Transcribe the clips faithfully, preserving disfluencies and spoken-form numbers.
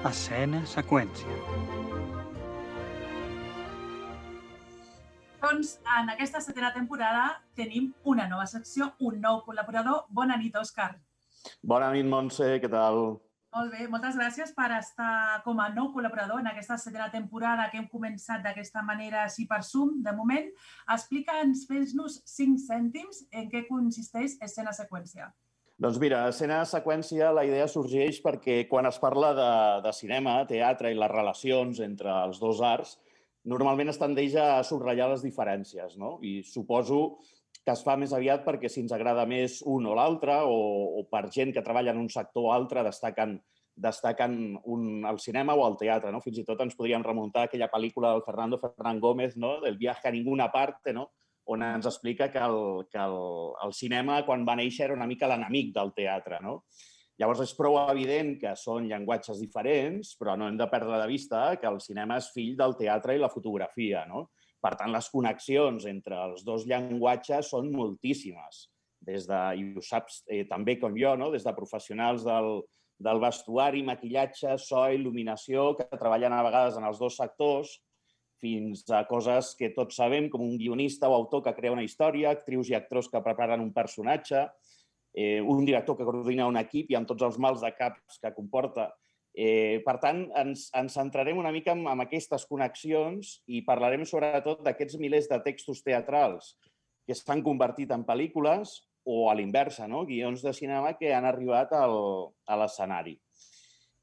Escena seqüència. Doncs en aquesta setena temporada tenim una nova secció, un nou col·laborador. Bona nit, Òscar. Bona nit, Montse, què tal? Molt bé, moltes gràcies per estar com a nou col·laborador en aquesta setena temporada que hem començat d'aquesta manera així per Zoom, de moment. Explica'ns, fes-nos cinc cèntims en què consisteix escena seqüència. Doncs mira, escena seqüència, la idea sorgeix perquè quan es parla de, de cinema, teatre i les relacions entre els dos arts, normalment es tendeix a subratllar les diferències, no? I suposo que es fa més aviat perquè si ens agrada més un o l'altre o, o per gent que treballa en un sector o altre destaquen, destaquen un, el cinema o el teatre, no? Fins i tot ens podríem remuntar a aquella pel·lícula del Fernando Fernán Gómez, no? Del viaje a ninguna parte, no? On ens explica que, el, que el, el cinema, quan va néixer, era una mica l'enemic del teatre, no? Llavors, és prou evident que són llenguatges diferents, però no hem de perdre de vista que el cinema és fill del teatre i la fotografia, no? Per tant, les connexions entre els dos llenguatges són moltíssimes. Des de, i ho saps eh, també com jo, no? Des de professionals del, del vestuari, maquillatge, so, il·luminació, que treballen a vegades en els dos sectors, fins a coses que tots sabem, com un guionista o autor que crea una història, actrius i actors que preparen un personatge, eh, un director que coordina un equip i amb tots els mals de caps que comporta. Eh, per tant, ens, ens centrarem una mica en, en aquestes connexions i parlarem sobretot d'aquests milers de textos teatrals que s'han convertit en pel·lícules o a l'inversa, no? Guions de cinema que han arribat al, a l'escenari.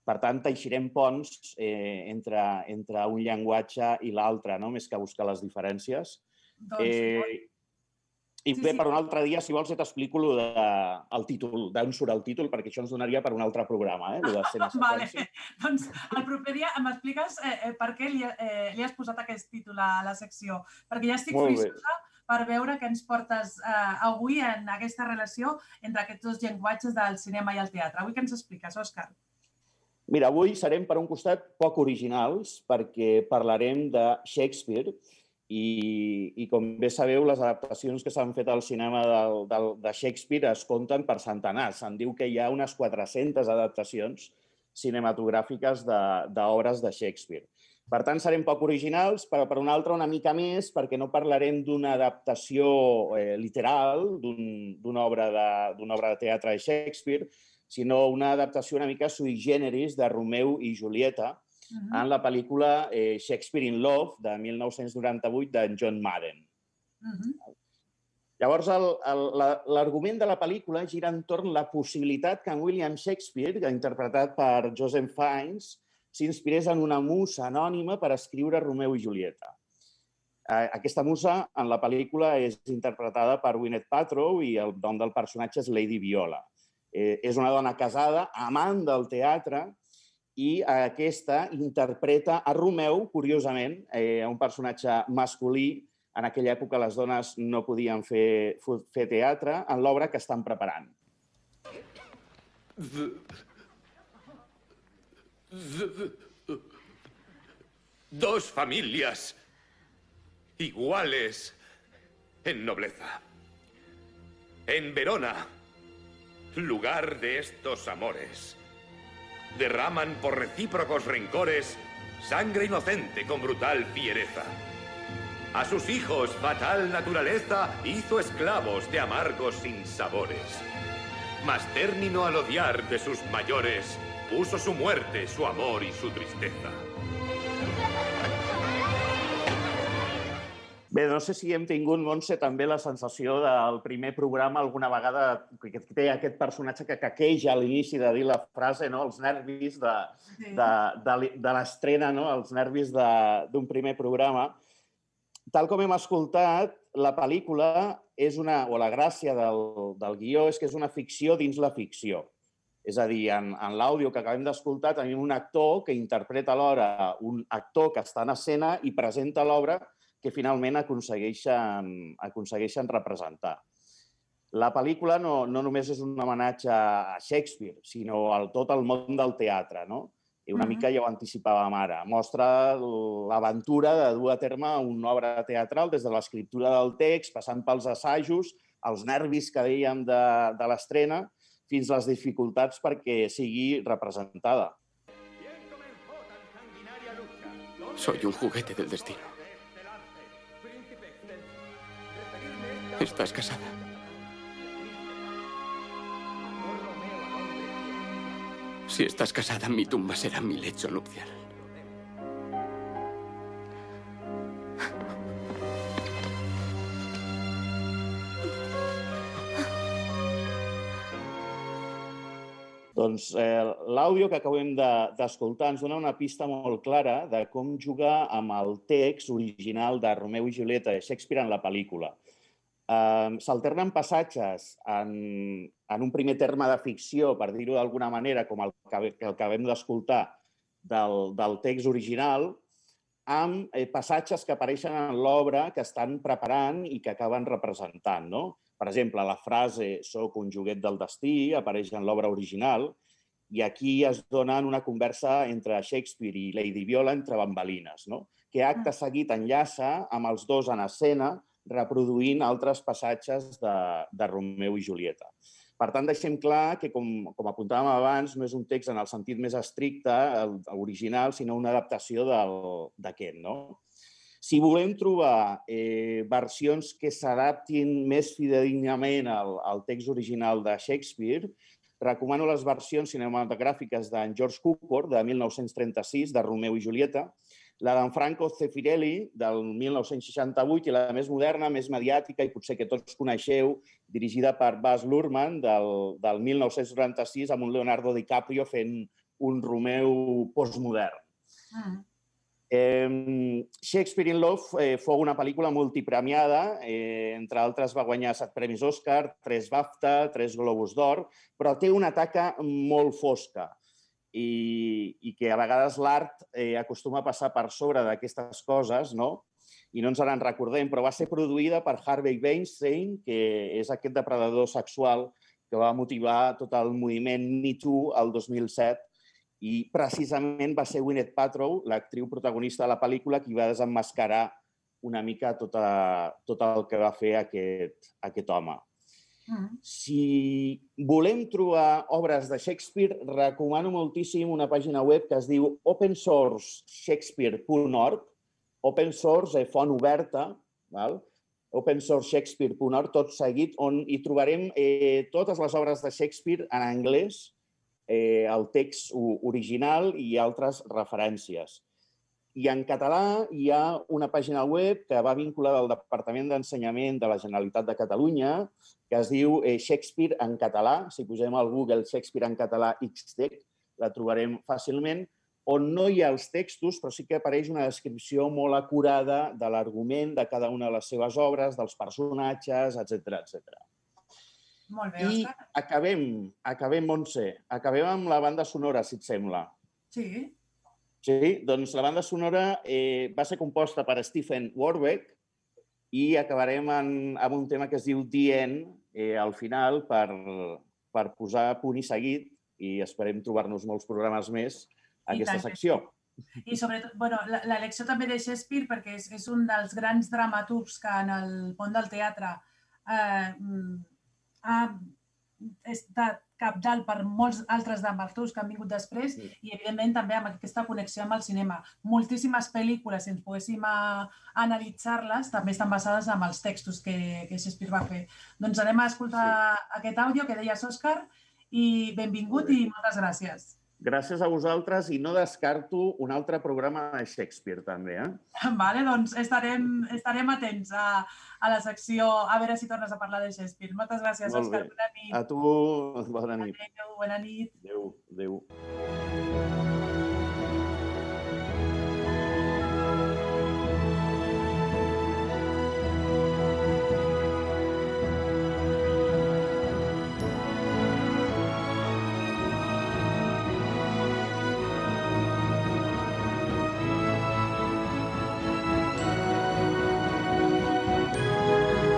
Per tant, teixirem ponts eh, entre, entre un llenguatge i l'altre, no? Més que buscar les diferències. Doncs, Eh, I Sí, bé, sí. per un altre dia, si vols, ja t'explico lo de, el títol, d'on surt el títol, perquè això ens donaria per un altre programa, eh? Lo d'escena Vale, seqüència. doncs el proper dia m'expliques eh, eh, per què li, eh, li has posat aquest títol a la secció, perquè ja estic Molt bé. frisosa per veure què ens portes eh, avui en aquesta relació entre aquests dos llenguatges del cinema i el teatre. Avui què ens expliques, Òscar? Mira, avui serem, per un costat, poc originals, perquè parlarem de Shakespeare i, i com bé sabeu, les adaptacions que s'han fet al cinema del, del, de Shakespeare es compten per centenars. Se'n diu que hi ha unes quatre-centes adaptacions cinematogràfiques d'obres de, de Shakespeare. Per tant, serem poc originals, però per una altra una mica més, perquè no parlarem d'una adaptació eh, literal d'una obra, de, d'una obra de teatre de Shakespeare, sinó una adaptació una mica sui generis de Romeu i Julieta, Uh-huh. en la pel·lícula eh, Shakespeare in Love, de mil nou-cents noranta-vuit, d'en John Madden. Uh-huh. Llavors, l'argument de la pel·lícula gira entorn la possibilitat que en William Shakespeare, interpretat per Joseph Fiennes, s'inspirés en una musa anònima per escriure Romeu i Julieta. Eh, aquesta musa, en la pel·lícula, és interpretada per Gwyneth Paltrow i el nom del personatge és Lady Viola. Eh, és una dona casada, amant del teatre, i aquesta interpreta a Romeu, curiosament, eh, un personatge masculí. En aquella època les dones no podien fer, fer teatre en l'obra que estan preparant. Dos familias iguales en nobleza. En Verona, lugar de estos amores, derraman por recíprocos rencores sangre inocente con brutal fiereza. A sus hijos fatal naturaleza hizo esclavos de amargos sinsabores. Mas término al odiar de sus mayores, puso su muerte, su amor y su tristeza. Bé, no sé si hem tingut, Montse, també la sensació del primer programa alguna vegada que té aquest personatge que caqueja a l'inici de dir la frase, no? Els nervis de, de, de, de l'estrena, no? Els nervis d'un primer programa. Tal com hem escoltat, la pel·lícula és una, o la gràcia del, del guió és que és una ficció dins la ficció. És a dir, en, en l'àudio que acabem d'escoltar tenim un actor que interpreta alhora un actor que està en escena i presenta l'obra que finalment aconsegueixen, aconsegueixen representar. La pel·lícula no, no només és un homenatge a Shakespeare, sinó a tot el món del teatre, no? I una mica ja ho anticipàvem ara. Mostra l'aventura de dur a terme una obra teatral des de l'escriptura del text, passant pels assajos, els nervis que dèiem de, de l'estrena, fins a les dificultats perquè sigui representada. Soy un juguete del destino. ¿Estás casada? Si estás casada, mi tumba será mi lecho nupcial. Doncs eh, l'àudio que acabem d'escoltar ens dona una pista molt clara de com jugar amb el text original de Romeu i Julieta de Shakespeare en la pel·lícula. Eh, S'alternen passatges en, en un primer terme de ficció, per dir-ho d'alguna manera, com el que, el que acabem d'escoltar del, del text original, amb eh, passatges que apareixen en l'obra que estan preparant i que acaben representant, no? Per exemple, la frase «soc un joguet del destí» apareix en l'obra original i aquí es dona una conversa entre Shakespeare i Lady Viola entre bambalines, no? Que acte seguit enllaça amb els dos en escena reproduint altres passatges de, de Romeu i Julieta. Per tant, deixem clar que, com, com apuntàvem abans, no és un text en el sentit més estricte, el, original, sinó una adaptació d'aquest, no? Si volem trobar eh, versions que s'adaptin més fidedignament al, al text original de Shakespeare, recomano les versions cinematogràfiques d'en George Cukor, de mil nou-cents trenta-sis, de Romeu i Julieta, la d'en Franco Zeffirelli, del mil nou-cents seixanta-vuit, i la més moderna, més mediàtica, i potser que tots coneixeu, dirigida per Baz Luhrmann, del, del mil nou-cents noranta-sis, amb un Leonardo DiCaprio fent un Romeu postmodern. Mm. Eh, Shakespeare in Love eh, fou una pel·lícula multipremiada, eh, entre altres va guanyar set premis Òscar, tres BAFTA, tres Globus d'Or, però té una taca molt fosca i, i que a vegades l'art eh, acostuma a passar per sobre d'aquestes coses, no? I no ens en recordem, però va ser produïda per Harvey Weinstein, que és aquest depredador sexual que va motivar tot el moviment Me Too el dos mil set. I precisament va ser Gwyneth Paltrow, l'actriu protagonista de la pel·lícula, qui va desemmascarar una mica tot, a, tot el que va fer aquest, aquest home. Mm. Si volem trobar obres de Shakespeare, recomano moltíssim una pàgina web que es diu open source shakespeare punt org, open source, eh, font oberta, val? open source shakespeare punt org, tot seguit, on hi trobarem eh, totes les obres de Shakespeare en anglès, Eh, el text original i altres referències. I en català hi ha una pàgina web que va vinculada al Departament d'Ensenyament de la Generalitat de Catalunya, que es diu eh, Shakespeare en català. Si posem al Google Shakespeare en català X T E C, la trobarem fàcilment, on no hi ha els textos, però sí que apareix una descripció molt acurada de l'argument de cada una de les seves obres, dels personatges, etcètera, etcètera. Molt bé, I Òscar. acabem, acabem, Montse, acabem amb la banda sonora, si et sembla. Sí. Sí, doncs la banda sonora eh, va ser composta per Stephen Warbeck i acabarem en, amb un tema que es diu The End, eh, al final, per, per posar punt i seguit, i esperem trobar-nos molts programes més a aquesta secció. I sobretot, bueno, l'elecció també de Shakespeare, perquè és, és un dels grans dramaturgs que en el món del teatre eh, ha estat cabdal per molts altres dramaturgs que han vingut després sí. I, evidentment, també amb aquesta connexió amb el cinema. Moltíssimes pel·lícules, si ens poguéssim analitzar-les, també estan basades en els textos que, que Shakespeare va fer. Doncs anem a escoltar sí. aquest àudio que deies, Òscar, i benvingut i moltes gràcies. Gràcies a vosaltres i no descarto un altre programa de Shakespeare, també. Eh? Vale, doncs estarem, estarem atents a, a la secció, a veure si tornes a parlar de Shakespeare. Moltes gràcies, Òscar. Bona nit. A tu, bona nit. Adéu, bona nit. Adéu, adéu.